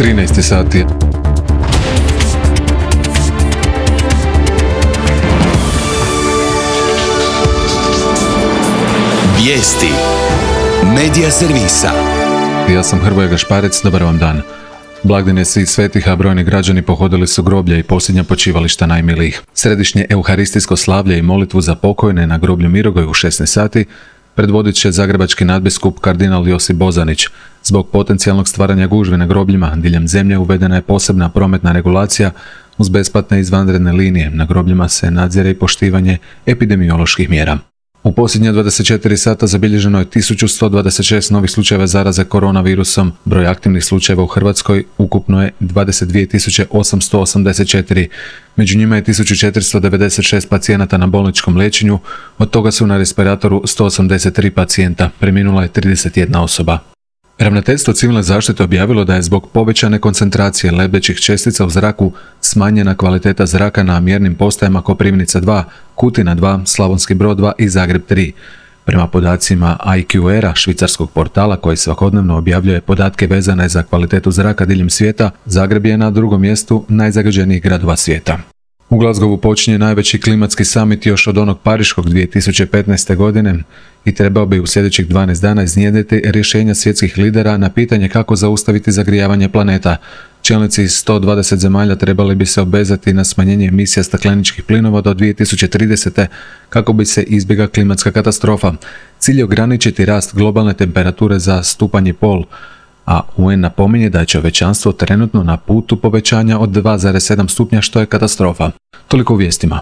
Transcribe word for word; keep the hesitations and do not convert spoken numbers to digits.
trinaest sati. Vijesti Medija servisa. Ja sam Hrvoje Gašparec, dobar vam dan. Blagdan je svih svetih, a brojni građani pohodili su groblja i posljednja počivališta najmilijih. Središnje euharistijsko slavlje i molitvu za pokojne na groblju Mirogoj u šesnaest sati predvodit će zagrebački nadbiskup kardinal Josip Bozanić. Zbog potencijalnog stvaranja gužve na grobljima diljem zemlje uvedena je posebna prometna regulacija uz besplatne izvanredne linije. Na grobljima se nadzire i poštivanje epidemioloških mjera. U posljednja dvadeset četiri sata zabilježeno je tisuću sto dvadeset šest novih slučajeva zaraze koronavirusom. Broj aktivnih slučajeva u Hrvatskoj ukupno je dvadeset dvije tisuće osamsto osamdeset četiri. Među njima je tisuću četiristo devedeset šest pacijenata na bolničkom liječenju, od toga su na respiratoru sto osamdeset tri pacijenta, preminula je trideset jedna osoba. Ravnateljstvo civilne zaštite objavilo da je zbog povećane koncentracije lebdećih čestica u zraku smanjena kvaliteta zraka na mjernim postajama Koprivnica dva, Kutina dva, Slavonski Brod dva i Zagreb tri. Prema podacima I Q R-a, švicarskog portala koji svakodnevno objavljuje podatke vezane za kvalitetu zraka diljem svijeta, Zagreb je na drugom mjestu najzagađenijih gradova svijeta. U Glasgowu počinje najveći klimatski summit još od onog pariškog dvije tisuće petnaeste. godine i trebao bi u sljedećih dvanaest dana iznjedriti rješenja svjetskih lidera na pitanje kako zaustaviti zagrijavanje planeta. Čelnici iz sto dvadeset zemalja trebali bi se obvezati na smanjenje emisija stakleničkih plinova do dvije tisuće tridesete. kako bi se izbjegla klimatska katastrofa. Cilj je ograničiti rast globalne temperature za stupanj i pol, a U N napominje da je čovječanstvo trenutno na putu povećanja od dva zarez sedam stupnja, što je katastrofa. Toliko u vijestima.